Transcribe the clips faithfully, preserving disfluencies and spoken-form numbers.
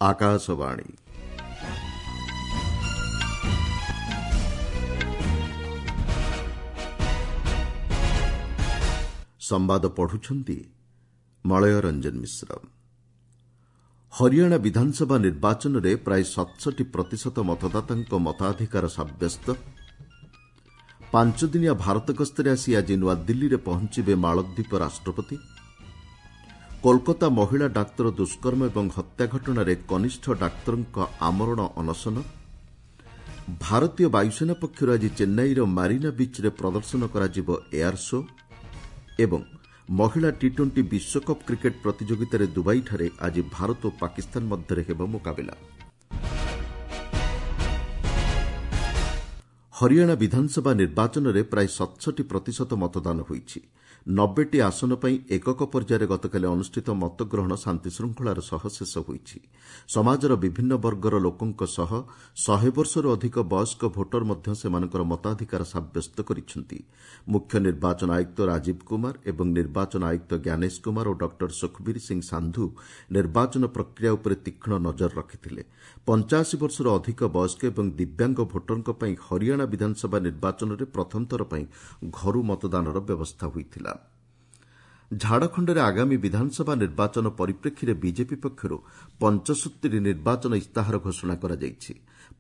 ଆକାଶବାଣୀ। ସମ୍ବାଦ ପଢୁଛନ୍ତି ମଳୟ ରଞ୍ଜନ ମିଶ୍ର। ହରିୟାଣା ବିଧାନସଭା ନିର୍ବାଚନରେ ପ୍ରାୟ ସତଷଠି ପ୍ରତିଶତ ମତଦାତାଙ୍କ ମତାଧିକାର ସାବ୍ୟସ୍ତ। ପାଞ୍ଚଦିନିଆ ଭାରତ ଗସ୍ତରେ ଆସି ଆଜି ନୂଆଦିଲ୍ଲୀରେ ପହଞ୍ଚିବେ ମାଳଦ୍ୱୀପ ରାଷ୍ଟ୍ରପତି। କୋଲକାତା ମହିଳା ଡାକ୍ତର ଦୁଷ୍କର୍ମ ଏବଂ ହତ୍ୟା ଘଟଣାରେ କନିଷ୍ଠ ଡାକ୍ତରଙ୍କ ଆମରଣ ଅନଶନ। ଭାରତୀୟ ବାୟୁସେନା ପକ୍ଷରୁ ଆଜି ଚେନ୍ନାଇର ମାରିନା ବିଚ୍ରେ ପ୍ରଦର୍ଶନ କରାଯିବ ଏୟାର ଶୋ ଏବଂ ମହିଳା ଟି ଟ୍ୱେଣ୍ଟି ବିଶ୍ୱକପ୍ କ୍ରିକେଟ୍ ପ୍ରତିଯୋଗିତାରେ ଦୁବାଇଠାରେ ଆଜି ଭାରତ ଓ ପାକିସ୍ତାନ ମଧ୍ୟରେ ହେବ ମୁକାବିଲା। ହରିୟାଣା ବିଧାନସଭା ନିର୍ବାଚନରେ ପ୍ରାୟ ସତଷଠି ପ୍ରତିଶତ ମତଦାନ ହୋଇଛି। ନବେଟି ଆସନ ପାଇଁ ଏକକ ପର୍ଯ୍ୟାୟରେ ଗତକାଲି ଅନୁଷ୍ଠିତ ମତଗ୍ରହଣ ଶାନ୍ତିଶୃଙ୍ଖଳାର ସହ ଶେଷ ହୋଇଛି। ସମାଜର ବିଭିନ୍ନ ବର୍ଗର ଲୋକଙ୍କ ସହ ଶହେ ବର୍ଷରୁ ଅଧିକ ବୟସ୍କ ଭୋଟର ମଧ୍ୟ ସେମାନଙ୍କର ମତାଧିକାର ସାବ୍ୟସ୍ତ କରିଛନ୍ତି। ମୁଖ୍ୟ ନିର୍ବାଚନ ଆୟୁକ୍ତ ରାଜୀବ କୁମାର ଏବଂ ନିର୍ବାଚନ ଆୟୁକ୍ତ ଜ୍ଞାନେଶ କୁମାର ଓ ଡକ୍ଟର ସୁଖବୀର ସିଂ ସାନ୍ଧୁ ନିର୍ବାଚନ ପ୍ରକ୍ରିୟା ଉପରେ ତୀକ୍ଷ୍ଣ ନଜର ରଖିଥିଲେ। ପଞ୍ଚାଅଶୀ ବର୍ଷରୁ ଅଧିକ ବୟସ୍କ ଏବଂ ଦିବ୍ୟାଙ୍ଗ ଭୋଟରଙ୍କ ପାଇଁ ହରିୟାଣା ବିଧାନସଭା ନିର୍ବାଚନରେ ପ୍ରଥମଥର ପାଇଁ ଘରୁ ମତଦାନର ବ୍ୟବସ୍ଥା ହୋଇଥିଲା। ଝାଡ଼ଖଣ୍ଡରେ ଆଗାମୀ ବିଧାନସଭା ନିର୍ବାଚନ ପରିପ୍ରେକ୍ଷୀରେ ବିଜେପି ପକ୍ଷରୁ ପଞ୍ଚସୂତ୍ରୀ ନିର୍ବାଚନ ଇସ୍ତାହାର ଘୋଷଣା କରାଯାଇଛି।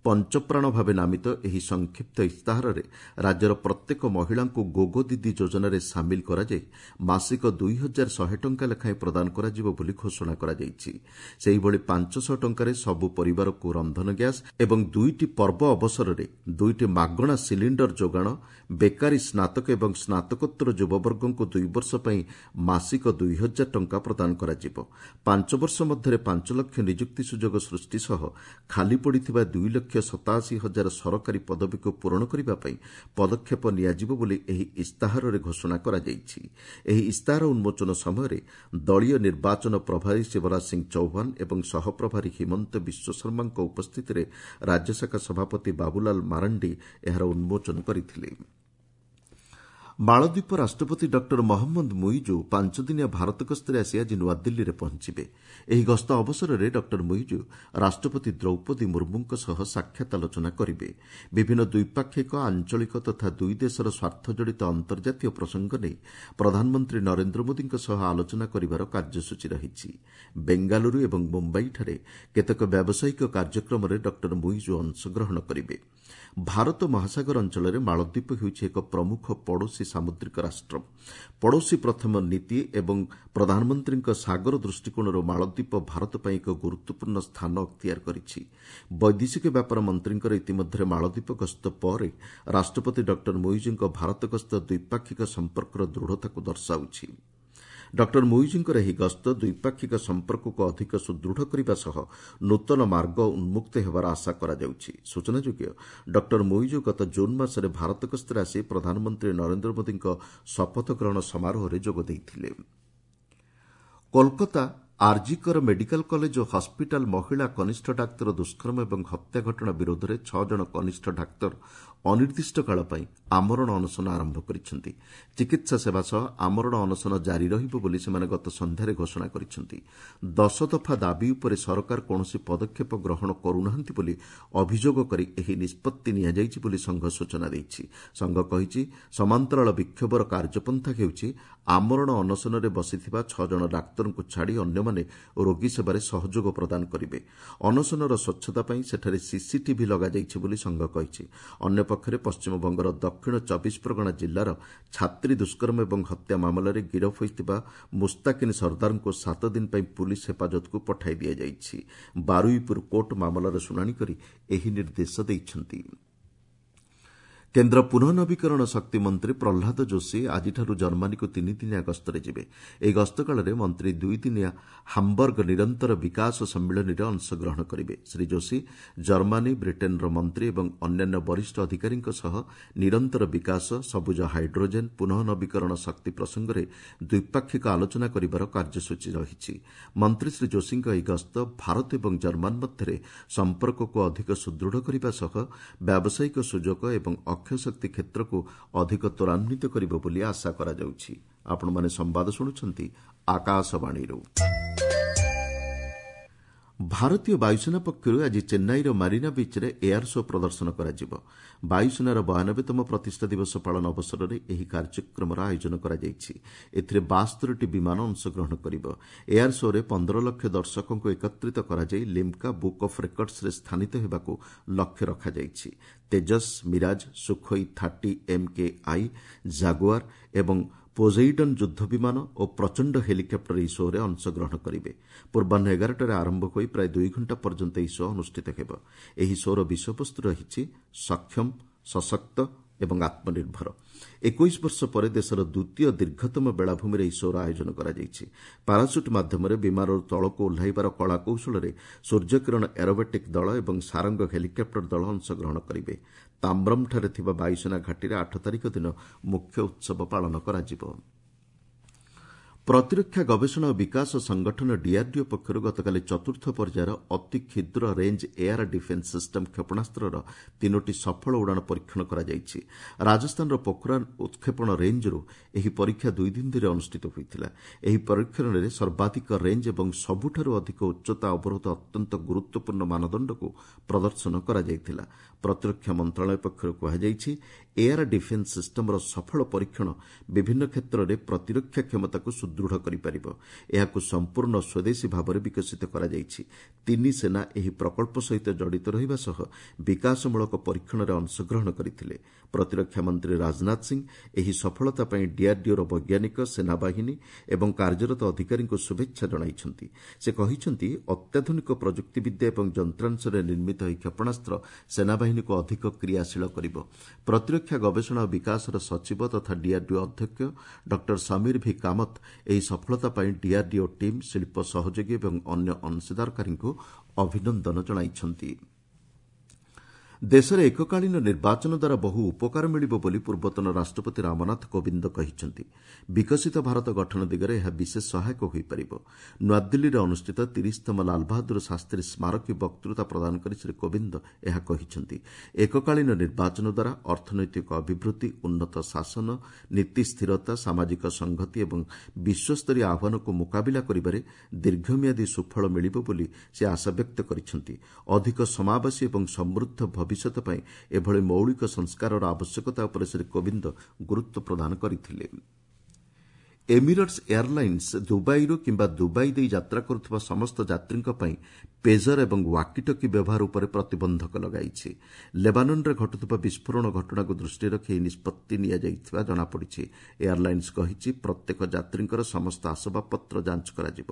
ପଞ୍ଚପ୍ରାଣ ଭାବେ ନାମିତ ଏହି ସଂକ୍ଷିପ୍ତ ଇସ୍ତାହାରରେ ରାଜ୍ୟର ପ୍ରତ୍ୟେକ ମହିଳାଙ୍କୁ ଗୋଗୋ ଦିଦି ଯୋଜନାରେ ସାମିଲ କରାଯାଇ ମାସିକ ଦୁଇ ହଜାର ଶହେ ଟଙ୍କା ଲେଖାଏଁ ପ୍ରଦାନ କରାଯିବ ବୋଲି ଘୋଷଣା କରାଯାଇଛି। ସେହିଭଳି ପାଞ୍ଚଶହ ଟଙ୍କାରେ ସବୁ ପରିବାରକୁ ରନ୍ଧନ ଗ୍ୟାସ୍ ଏବଂ ଦୁଇଟି ପର୍ବ ଅବସରରେ ଦୁଇଟି ମାଗଣା ସିଲିଣ୍ଡର ଯୋଗାଣ, ବେକାରୀ ସ୍ନାତକ ଏବଂ ସ୍ନାତକୋତ୍ତର ଯୁବବର୍ଗଙ୍କୁ ଦୁଇ ବର୍ଷ ପାଇଁ ମାସିକ ଦୁଇ ହଜାର ଟଙ୍କା ପ୍ରଦାନ କରାଯିବ। ପାଞ୍ଚ ବର୍ଷ ମଧ୍ୟରେ ପାଞ୍ଚ ଲକ୍ଷ ନିଯୁକ୍ତି ସୁଯୋଗ ସୃଷ୍ଟି ସହ ଖାଲି ପଡ଼ିଥିବା ଦୁଇ ଲକ୍ଷ ସତାଅଶୀ ହଜାର ସରକାରୀ ପଦବୀକୁ ପୂରଣ କରିବା ପାଇଁ ପଦକ୍ଷେପ ନିଆଯିବ ବୋଲି ଏହି ଇସ୍ତାହାରରେ ଘୋଷଣା କରାଯାଇଛି। ଏହି ଇସ୍ତାହାର ଉନ୍ମୋଚନ ସମୟରେ ଦଳୀୟ ନିର୍ବାଚନ ପ୍ରଭାରୀ ଶିବରାଜ ସିଂ ଚୌହାନ ଏବଂ ସହପ୍ରଭାରୀ ହିମନ୍ତ ବିଶ୍ୱଶର୍ମାଙ୍କ ଉପସ୍ଥିତିରେ ରାଜ୍ୟଶାଖା ସଭାପତି ବାବୁଲାଲ ମାରାଣ୍ଡି ଏହାର ଉନ୍ମୋଚନ କରିଥିଲେ। ମାଳଦ୍ୱୀପ ରାଷ୍ଟ୍ରପତି ଡକ୍ଟର ମହମ୍ମଦ ମୁଇଜୁ ପାଞ୍ଚଦିନିଆ ଭାରତ ଗସ୍ତରେ ଆସି ଆଜି ନୂଆଦିଲ୍ଲୀରେ ପହଞ୍ଚିବେ। ଏହି ଗସ୍ତ ଅବସରରେ ଡକ୍ଟର ମୁଇଜୁ ରାଷ୍ଟ୍ରପତି ଦ୍ରୌପଦୀ ମୁର୍ମୁଙ୍କ ସହ ସାକ୍ଷାତ ଆଲୋଚନା କରିବେ। ବିଭିନ୍ନ ଦ୍ୱିପାକ୍ଷିକ, ଆଞ୍ଚଳିକ ତଥା ଦୁଇ ଦେଶର ସ୍ୱାର୍ଥଜଡ଼ିତ ଅନ୍ତର୍ଜାତୀୟ ପ୍ରସଙ୍ଗ ନେଇ ପ୍ରଧାନମନ୍ତ୍ରୀ ନରେନ୍ଦ୍ର ମୋଦିଙ୍କ ସହ ଆଲୋଚନା କରିବାର କାର୍ଯ୍ୟସୂଚୀ ରହିଛି। ବେଙ୍ଗାଲୁରୁ ଏବଂ ମୁମ୍ବାଇଠାରେ କେତେକ ବ୍ୟାବସାୟିକ କାର୍ଯ୍ୟକ୍ରମରେ ଡକ୍ଟର ମୁଇଜୁ ଅଂଶଗ୍ରହଣ କରିବେ। ଭାରତ ମହାସାଗର ଅଞ୍ଚଳରେ ମାଳଦ୍ୱୀପ ହେଉଛି ଏକ ପ୍ରମୁଖ ପଡ଼ୋଶୀ ସାମୁଦ୍ରିକ ରାଷ୍ଟ୍ର। ପଡ଼ୋଶୀ ପ୍ରଥମ ନୀତି ଏବଂ ପ୍ରଧାନମନ୍ତ୍ରୀଙ୍କ ସାଗର ଦୃଷ୍ଟିକୋଣରୁ ମାଳଦ୍ୱୀପ ଭାରତ ପାଇଁ ଏକ ଗୁରୁତ୍ୱପୂର୍ଣ୍ଣ ସ୍ଥାନ ଅକ୍ତିଆର କରିଛି। ବୈଦେଶିକ ବ୍ୟାପାର ମନ୍ତ୍ରୀଙ୍କର ଇତିମଧ୍ୟରେ ମାଳଦ୍ୱୀପ ଗସ୍ତ ପରେ ରାଷ୍ଟ୍ରପତି ଡକ୍ଟର ମୁଇଜୁଙ୍କ ଭାରତ ଗସ୍ତ ଦ୍ୱିପାକ୍ଷିକ ସମ୍ପର୍କର ଦୃଢ଼ତାକୁ ଦର୍ଶାଉଛି। ଡକ୍ଟର ମୁଇଜୁଙ୍କର ଏହି ଗସ୍ତ ଦ୍ୱିପାକ୍ଷିକ ସମ୍ପର୍କକୁ ଅଧିକ ସୁଦୃଢ଼ କରିବା ସହ ନୂତନ ମାର୍ଗ ଉନ୍ମୁକ୍ତ ହେବାର ଆଶା କରାଯାଉଛି। ସୂଚନାଯୋଗ୍ୟ, ଡକ୍ଟର ମୁଇଜୁ ଗତ ଜୁନ୍ ମାସରେ ଭାରତ ଗସ୍ତରେ ଆସି ପ୍ରଧାନମନ୍ତ୍ରୀ ନରେନ୍ଦ୍ର ମୋଦିଙ୍କ ଶପଥ ଗ୍ରହଣ ସମାରୋହରେ ଯୋଗ ଦେଇଥିଲେ। କୋଲକାତା ଆର୍ଜିକର ମେଡିକାଲ କଲେଜ ଓ ହସ୍ପିଟାଲ ମହିଳା କନିଷ୍ଠ ଡାକ୍ତର ଦୁଷ୍କର୍ମ ଏବଂ ହତ୍ୟା ଘଟଣା ବିରୋଧରେ ଛଅ ଜଣ କନିଷ୍ଠ ଡାକ୍ତର ଅନିର୍ଦ୍ଦିଷ୍ଟ କାଳ ପାଇଁ ଆମରଣ ଅନଶନ ଆରମ୍ଭ କରିଛନ୍ତି। ଚିକିତ୍ସା ସେବା ସହ ଆମରଣ ଅନଶନ ଜାରି ରହିବ ବୋଲି ସେମାନେ ଗତ ସନ୍ଧ୍ୟାରେ ଘୋଷଣା କରିଛନ୍ତି। ଦଶ ଦଫା ଦାବି ଉପରେ ସରକାର କୌଣସି ପଦକ୍ଷେପ ଗ୍ରହଣ କରୁନାହାନ୍ତି ବୋଲି ଅଭିଯୋଗ କରି ଏହି ନିଷ୍ପତ୍ତି ନିଆଯାଇଛି ବୋଲି ସଂଘ ସୂଚନା ଦେଇଛି। ସଂଘ କହିଛି, ସମାନ୍ତରାଳ ବିକ୍ଷୋଭର କାର୍ଯ୍ୟପନ୍ଥା ହେଉଛି ଆମରଣ ଅନଶନରେ ବସିଥିବା ଛଅ ଜଣ ଡାକ୍ତରଙ୍କୁ ଛାଡ଼ି ଅନ୍ୟମାନେ ରୋଗୀ ସେବାରେ ସହଯୋଗ ପ୍ରଦାନ କରିବେ। ଅନଶନର ସ୍ୱଚ୍ଛତା ପାଇଁ ସେଠାରେ ସିସିଟିଭି ଲଗାଯାଇଛି ବୋଲି ସଂଘ କହିଛି। ଅନ୍ୟପକ୍ଷରେ ପଶ୍ଚିମବଙ୍ଗର ଦକ୍ଷିଣ ଚବିଶ ପ୍ରଗଣା ଜିଲ୍ଲାର ଛାତ୍ରୀ ଦୁଷ୍କର୍ମ ଏବଂ ହତ୍ୟା ମାମଲାରେ ଗିରଫ ହୋଇଥିବା ମୁସ୍ତାକିନ ସର୍ଦ୍ଦାରଙ୍କୁ ସାତ ଦିନ ପାଇଁ ପୁଲିସ୍ ହେଫାଜତକୁ ପଠାଇ ଦିଆଯାଇଛି। ବାରୁଇପୁର କୋର୍ଟ ମାମଲାର ଶୁଣାଣି କରି ଏହି ନିର୍ଦ୍ଦେଶ ଦେଇଛନ୍ତି। କେନ୍ଦ୍ର ପୁନଃନବୀକରଣ ଶକ୍ତି ମନ୍ତ୍ରୀ ପ୍ରହ୍ଲାଦ ଯୋଶୀ ଆଜିଠାରୁ ଜର୍ମାନୀକୁ ତିନିଦିନିଆ ଗସ୍ତରେ ଯିବେ। ଏହି ଗସ୍ତକାଳରେ ମନ୍ତ୍ରୀ ଦୁଇଦିନିଆ ହାମ୍ବର୍ଗ ନିରନ୍ତର ବିକାଶ ସମ୍ମିଳନୀରେ ଅଂଶଗ୍ରହଣ କରିବେ। ଶ୍ରୀ ଯୋଶୀ ଜର୍ମାନୀ, ବ୍ରିଟେନ୍ର ମନ୍ତ୍ରୀ ଏବଂ ଅନ୍ୟାନ୍ୟ ବରିଷ୍ଠ ଅଧିକାରୀଙ୍କ ସହ ନିରନ୍ତର ବିକାଶ, ସବୁଜ ହାଇଡ୍ରୋଜେନ୍, ପୁନଃନବୀକରଣ ଶକ୍ତି ପ୍ରସଙ୍ଗରେ ଦ୍ୱିପାକ୍ଷିକ ଆଲୋଚନା କରିବାର କାର୍ଯ୍ୟସୂଚୀ ରହିଛି। ମନ୍ତ୍ରୀ ଶ୍ରୀ ଯୋଶୀଙ୍କ ଏହି ଗସ୍ତ ଭାରତ ଏବଂ ଜର୍ମାନ ମଧ୍ୟରେ ସମ୍ପର୍କକୁ ଅଧିକ ସୁଦୃଢ଼ କରିବା ସହ ବ୍ୟାବସାୟିକ ସୁଯୋଗ ଏବଂ ଅକ୍ଷୟ ଶକ୍ତି କ୍ଷେତ୍ରକୁ ଅଧିକ ତ୍ୱରାନ୍ୱିତ କରିବ ବୋଲି ଆଶା କରାଯାଉଛି। ଆପଣମାନେ ସମ୍ବାଦ ଶୁଣୁଛନ୍ତି ଆକାଶବାଣୀରୁ। ଭାରତୀୟ ବାୟୁସେନା ପକ୍ଷରୁ ଆଜି ଚେନ୍ନାଇର ମାରିନା ବିଚ୍ରେ ଏୟାର ଶୋ ପ୍ରଦର୍ଶନ କରାଯିବ। ବାୟୁସେନାର ବୟାନବେତମ ପ୍ରତିଷ୍ଠା ଦିବସ ପାଳନ ଅବସରରେ ଏହି କାର୍ଯ୍ୟକ୍ରମର ଆୟୋଜନ କରାଯାଇଛି। ଏଥିରେ ବାସ୍ତରିଟି ବିମାନ ଅଂଶଗ୍ରହଣ କରିବ। ଏୟାର ଶୋରେ ପନ୍ଦର ଲକ୍ଷ ଦର୍ଶକଙ୍କୁ ଏକତ୍ରିତ କରାଯାଇ ଲିମ୍କା ବୁକ୍ ଅଫ୍ ରେକର୍ଡସରେ ସ୍ଥାନିତ ହେବାକୁ ଲକ୍ଷ୍ୟ ରଖାଯାଇଛି। Tejas, Mirage, Sukhoi thirty M K I, Jaguar ଏବଂ ପୋଜେଇଡନ୍ ଯୁଦ୍ଧ ବିମାନ ଓ ପ୍ରଚଣ୍ଡ ହେଲିକପ୍ଟର ଏହି ଶୋରେ ଅଂଶଗ୍ରହଣ କରିବେ। ପୂର୍ବାହ୍ନ ଏଗାରଟାରେ ଆରମ୍ଭ ହୋଇ ପ୍ରାୟ ଦୁଇ ଘଣ୍ଟା ପର୍ଯ୍ୟନ୍ତ ଏହି ଶୋ ଅନୁଷ୍ଠିତ ହେବ। ଏହି ଶୋର ବିଷୟବସ୍ତୁ ରହିଛି ସକ୍ଷମ, ସଶକ୍ତ ଏବଂ ଆତ୍ମନିର୍ଭର। ଏକୋଇଶ ବର୍ଷ ପରେ ଦେଶର ଦ୍ୱିତୀୟ ଦୀର୍ଘତମ ବେଳାଭୂମିରେ ଏହି ଶୋର ଆୟୋଜନ କରାଯାଇଛି। ପାରାସୁଟ୍ ମାଧ୍ୟମରେ ବିମାନରୁ ତଳକୁ ଓହ୍ଲାଇବାର କଳାକୌଶଳରେ ସୂର୍ଯ୍ୟକିରଣ ଏରୋବେଟିକ୍ ଦଳ ଏବଂ ସାରଙ୍ଗ ହେଲିକପ୍ଟର ଦଳ ଅଂଶଗ୍ରହଣ କରିବେ। ତାମ୍ରମ୍ଠାରେ ଥିବା ବାୟୁସେନା ଘାଟିରେ ଆଠ ତାରିଖ ଦିନ ମୁଖ୍ୟ ଉତ୍ସବ ପାଳନ କରାଯିବ। ପ୍ରତିରକ୍ଷା ଗବେଷଣା ଓ ବିକାଶ ସଂଗଠନ ଡିଆର୍ଡିଓ ପକ୍ଷରୁ ଗତକାଲି ଚତୁର୍ଥ ପର୍ଯ୍ୟାୟର ଅତି କ୍ଷୁଦ୍ର ରେଞ୍ଜ ଏୟାର ଡିଫେନ୍ସ ସିଷ୍ଟମ କ୍ଷେପଣାସ୍ତ୍ରର ତିନୋଟି ସଫଳ ଉଡ଼ାଣ ପରୀକ୍ଷଣ କରାଯାଇଛି। ରାଜସ୍ଥାନର ପୋଖରାନ୍ ଉତ୍କ୍ଷେପଣ ରେଞ୍ଜରୁ ଏହି ପରୀକ୍ଷା ଦୁଇ ଦିନ ଧରି ଅନୁଷ୍ଠିତ ହୋଇଥିଲା। ଏହି ପରୀକ୍ଷଣରେ ସର୍ବାଧିକ ରେଞ୍ଜ ଏବଂ ସବୁଠାରୁ ଅଧିକ ଉଚ୍ଚତା ଅବରୋଧ ଅତ୍ୟନ୍ତ ଗୁରୁତ୍ୱପୂର୍ଣ୍ଣ ମାନଦଣ୍ଡକୁ ପ୍ରଦର୍ଶନ କରାଯାଇଥିଲା। ପ୍ରତିରକ୍ଷା ମନ୍ତ୍ରଣାଳୟ ପକ୍ଷରୁ କୁହାଯାଇଛି, ଏୟାର ଡିଫେନ୍ସ ସିଷ୍ଟମର ସଫଳ ପରୀକ୍ଷଣ ବିଭିନ୍ନ କ୍ଷେତ୍ରରେ ପ୍ରତିରକ୍ଷା କ୍ଷମତାକୁ ସୁଦୃଢ଼ କରିପାରିବ। ଏହାକୁ ସମ୍ପୂର୍ଣ୍ଣ ସ୍ୱଦେଶୀ ଭାବରେ ବିକଶିତ କରାଯାଇଛି। ତିନି ସେନା ଏହି ପ୍ରକଳ୍ପ ସହିତ ଜଡ଼ିତ ରହିବା ସହ ବିକାଶମୂଳକ ପରୀକ୍ଷଣରେ ଅଂଶଗ୍ରହଣ କରିଥିଲେ। ପ୍ରତିରକ୍ଷା ମନ୍ତ୍ରୀ ରାଜନାଥ ସିଂ ଏହି ସଫଳତା ପାଇଁ ଡିଆର୍ଡିଓର ବୈଜ୍ଞାନିକ, ସେନାବାହିନୀ ଏବଂ କାର୍ଯ୍ୟରତ ଅଧିକାରୀଙ୍କୁ ଶୁଭେଚ୍ଛା ଜଣାଇଛନ୍ତି। ସେ କହିଛନ୍ତି, ଅତ୍ୟାଧୁନିକ ପ୍ରଯୁକ୍ତିବିଦ୍ୟା ଏବଂ ଯନ୍ତ୍ରାଂଶରେ ନିର୍ମିତ ଏହି କ୍ଷେପଣାସ୍ତ୍ର ସେନାବାହିନୀକୁ ଅଧିକ କ୍ରିୟାଶୀଳ କରିବ। ପ୍ରତିରକ୍ଷା ଗବେଷଣା ଓ ବିକାଶର ସଚିବ ତଥା ଡିଆର୍ଡିଓ ଅଧ୍ୟକ୍ଷ ଡକ୍ଟର ସମୀର ଭି କାମତ ଏହି ସଫଳତା ପାଇଁ ଡିଆର୍ଡିଓ ଟିମ୍, ଶିଳ୍ପ ସହଯୋଗୀ ଏବଂ ଅନ୍ୟ ଅଂଶୀଦାରକାରୀଙ୍କୁ ଅଭିନନ୍ଦନ ଜଣାଇଛନ୍ତି। ଦେଶରେ ଏକକାଳୀନ ନିର୍ବାଚନ ଦ୍ୱାରା ବହୁ ଉପକାର ମିଳିବ ବୋଲି ପୂର୍ବତନ ରାଷ୍ଟ୍ରପତି ରାମନାଥ କୋବିନ୍ଦ କହିଛନ୍ତି। ବିକଶିତ ଭାରତ ଗଠନ ଦିଗରେ ଏହା ବିଶେଷ ସହାୟକ ହୋଇପାରିବ। ନୂଆଦିଲ୍ଲୀରେ ଅନୁଷ୍ଠିତ ତିରିଶତମ ଲାଲବାହାଦୁର ଶାସ୍ତ୍ରୀ ସ୍ମାରକୀ ବକ୍ତୃତା ପ୍ରଦାନ କରି ଶ୍ରୀ କୋବିନ୍ଦ ଏହା କହିଛନ୍ତି। ଏକକାଳୀନ ନିର୍ବାଚନ ଦ୍ୱାରା ଅର୍ଥନୈତିକ ଅଭିବୃଦ୍ଧି, ଉନ୍ନତ ଶାସନ, ନୀତି ସ୍ଥିରତା, ସାମାଜିକ ସଂହତି ଏବଂ ବିଶ୍ୱସ୍ତରୀୟ ଆହ୍ୱାନକୁ ମୁକାବିଲା କରିବାରେ ଦୀର୍ଘମିଆଦୀ ସୁଫଳ ମିଳିବ ବୋଲି ସେ ଆଶାବ୍ୟକ୍ତ କରିଛନ୍ତି। ଅଧିକ ସମାବେଶୀ ଏବଂ ସମୃଦ୍ଧ ଭବିଷ୍ୟତ ପାଇଁ ଏଭଳି ମୌଳିକ ସଂସ୍କାରର ଆବଶ୍ୟକତା ଉପରେ ଶ୍ରୀ କୋବିନ୍ଦ ଗୁରୁତ୍ୱ ପ୍ରଦାନ କରିଥିଲେ। ଏମିରେଟ୍ସ ଏୟାରଲାଇନ୍ସ ଦୁବାଇରୁ କିମ୍ବା ଦୁବାଇ ଦେଇ ଯାତ୍ରା କରୁଥିବା ସମସ୍ତ ଯାତ୍ରୀଙ୍କ ପାଇଁ ପେଜର ଏବଂ ୱାକିଟକି ବ୍ୟବହାର ଉପରେ ପ୍ରତିବନ୍ଧକ ଲଗାଇଛି। ଲେବାନନରେ ଘଟୁଥିବା ବିସ୍ଫୋରଣ ଘଟଣାକୁ ଦୃଷ୍ଟିରେ ରଖି ଏହି ନିଷ୍ପତ୍ତି ନିଆଯାଇଥିବା ଜଣାପଡ଼ିଛି। ଏୟାରଲାଇନ୍ସ କହିଛି, ପ୍ରତ୍ୟେକ ଯାତ୍ରୀଙ୍କର ସମସ୍ତ ଆସବାବପତ୍ର ଯାଞ୍ଚ କରାଯିବ।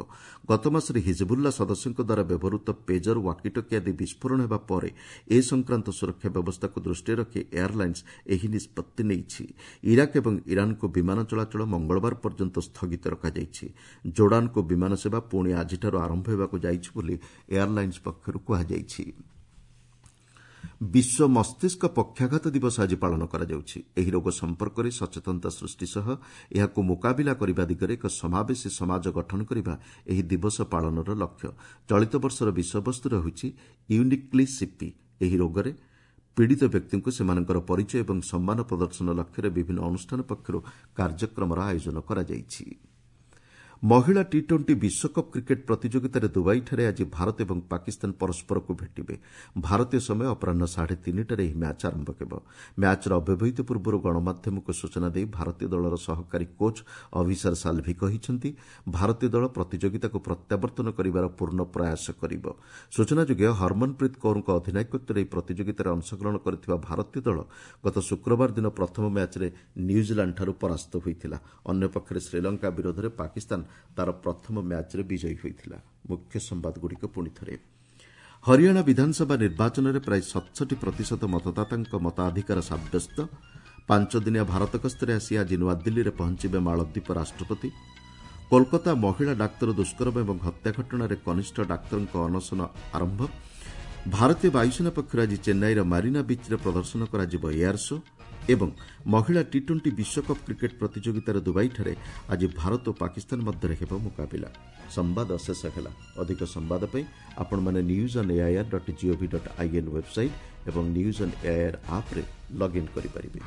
ଗତମାସରେ ହିଜବୁଲ୍ଲା ସଦସ୍ୟଙ୍କ ଦ୍ୱାରା ବ୍ୟବହୃତ ପେଜର, ୱାକିଟକି ଆଦି ବିସ୍ଫୋରଣ ହେବା ପରେ ଏ ସଂକ୍ରାନ୍ତ ସୁରକ୍ଷା ବ୍ୟବସ୍ଥାକୁ ଦୃଷ୍ଟିରେ ରଖି ଏୟାରଲାଇନ୍ସ ଏହି ନିଷ୍ପତ୍ତି ନେଇଛି। ଇରାକ ଏବଂ ଇରାନକୁ ବିମାନ ଚଳାଚଳ ମଙ୍ଗଳବାର ପର୍ଯ୍ୟନ୍ତ ସ୍ଥଗିତ ରଖାଯାଇଛି। ଜୋର୍ଡାନକୁ ବିମାନ ସେବା ପୁଣି ଆଜିଠାରୁ ଆରମ୍ଭ ହେବାକୁ ଯାଇଛି ବୋଲି ଏୟାରଲାଇନ୍ସ ପକ୍ଷରୁ କୁହାଯାଇଛି। ବିଶ୍ୱ ମସ୍ତିଷ୍କ ପକ୍ଷାଘାତ ଦିବସ ଆଜି ପାଳନ କରାଯାଉଛି। ଏହି ରୋଗ ସମ୍ପର୍କରେ ସଚେତନତା ସୃଷ୍ଟି ସହ ଏହାକୁ ମୁକାବିଲା କରିବା ଦିଗରେ ଏକ ସମାବେଶୀ ସମାଜ ଗଠନ କରିବା ଏହି ଦିବସ ପାଳନର ଲକ୍ଷ୍ୟ। ଚଳିତ ବର୍ଷର ବିଷୟବସ୍ତୁ ରହିଛି ୟୁନିକ୍ଲି ସିପି। ଏହି ରୋଗରେ ପୀଡ଼ିତ ବ୍ୟକ୍ତିଙ୍କୁ ସେମାନଙ୍କର ପରିଚୟ ଏବଂ ସମ୍ମାନ ପ୍ରଦର୍ଶନ ଲକ୍ଷ୍ୟରେ ବିଭିନ୍ନ ଅନୁଷ୍ଠାନ ପକ୍ଷରୁ କାର୍ଯ୍ୟକ୍ରମର ଆୟୋଜନ କରାଯାଇଛି। ମହିଳା ଟି ଟ୍ୱେଣ୍ଟି ବିଶ୍ୱକପ୍ କ୍ରିକେଟ୍ ପ୍ରତିଯୋଗିତାରେ ଦୁବାଇଠାରେ ଆଜି ଭାରତ ଏବଂ ପାକିସ୍ତାନ ପରସ୍ପରକୁ ଭେଟିବେ। ଭାରତୀୟ ସମୟ ଅପରାହ୍ନ ସାଢ଼େ ତିନିଟାରେ ଏହି ମ୍ୟାଚ୍ ଆରମ୍ଭ ହେବ। ମ୍ୟାଚ୍ର ଅବ୍ୟବହିତ ପୂର୍ବରୁ ଗଣମାଧ୍ୟମକୁ ସୂଚନା ଦେଇ ଭାରତୀୟ ଦଳର ସହକାରୀ କୋଚ୍ ଅଭିସାର ସାଲ୍ଭି କହିଛନ୍ତି, ଭାରତୀୟ ଦଳ ପ୍ରତିଯୋଗିତାକୁ ପ୍ରତ୍ୟାବର୍ତ୍ତନ କରିବାର ପୂର୍ଣ୍ଣ ପ୍ରୟାସ କରିବ। ସୂଚନାଯୋଗ୍ୟ, ହରମନପ୍ରୀତ କୌରଙ୍କ ଅଧିନାୟକତ୍ୱରେ ଏହି ପ୍ରତିଯୋଗିତାରେ ଅଂଶଗ୍ରହଣ କରିଥିବା ଭାରତୀୟ ଦଳ ଗତ ଶୁକ୍ରବାର ଦିନ ପ୍ରଥମ ମ୍ୟାଚ୍ରେ ନ୍ୟୁଜିଲାଣ୍ଡଠାରୁ ପରାସ୍ତ ହୋଇଥିଲା। ଅନ୍ୟପକ୍ଷରେ ଶ୍ରୀଲଙ୍କା ବିରୋଧରେ ପାକିସ୍ତାନ ତାର ପ୍ରଥମ ମ୍ୟାଚ୍ରେ ବିଜୟୀ ହୋଇଥିଲା। ମୁଖ୍ୟ ସମ୍ବାଦଗୁଡ଼ିକ ପୁଣି ଥରେ। ହରିୟାଣା ବିଧାନସଭା ନିର୍ବାଚନରେ ପ୍ରାୟ ସତଷଠି ପ୍ରତିଶତ ମତଦାତାଙ୍କ ମତାଧିକାର ସାବ୍ୟସ୍ତ। ପାଞ୍ଚଦିନିଆ ଭାରତ ଗସ୍ତରେ ଆସି ଆଜି ନୂଆଦିଲ୍ଲୀରେ ପହଞ୍ଚିବେ ମାଳଦ୍ୱୀପ ରାଷ୍ଟ୍ରପତି। କୋଲକାତା ମହିଳା ଡାକ୍ତର ଦୁଷ୍କର୍ମ ଏବଂ ହତ୍ୟା ଘଟଣାରେ କନିଷ୍ଠ ଡାକ୍ତରଙ୍କ ଅନଶନ ଆରମ୍ଭ। ଭାରତୀୟ ବାୟୁସେନା ପକ୍ଷରୁ ଆଜି ଚେନ୍ନାଇର ମାରିନା ବିଚ୍ରେ ପ୍ରଦର୍ଶନ କରାଯିବ ଏୟାର ଶୋ। ଏବଂ ମହିଳା ଟି ଟ୍ୱେଣ୍ଟି ବିଶ୍ୱକପ୍ କ୍ରିକେଟ୍ ପ୍ରତିଯୋଗିତାର ଦୁବାଇଠାରେ ଆଜି ଭାରତ ଓ ପାକିସ୍ତାନ ମଧ୍ୟରେ ହେବ ମୁକାବିଲା। ସମ୍ବାଦ ଶେଷ ହେଲା। ଅଧିକ ସମ୍ବାଦ ପାଇଁ ଆପଣମାନେ news on AIR dot gov dot in website ଏବଂ ନ୍ୟୁଜ୍ ଅନ୍ ଏଆଇଆର୍ ଆପ୍ରେ ଲଗ୍ଇନ୍ କରିପାରିବେ।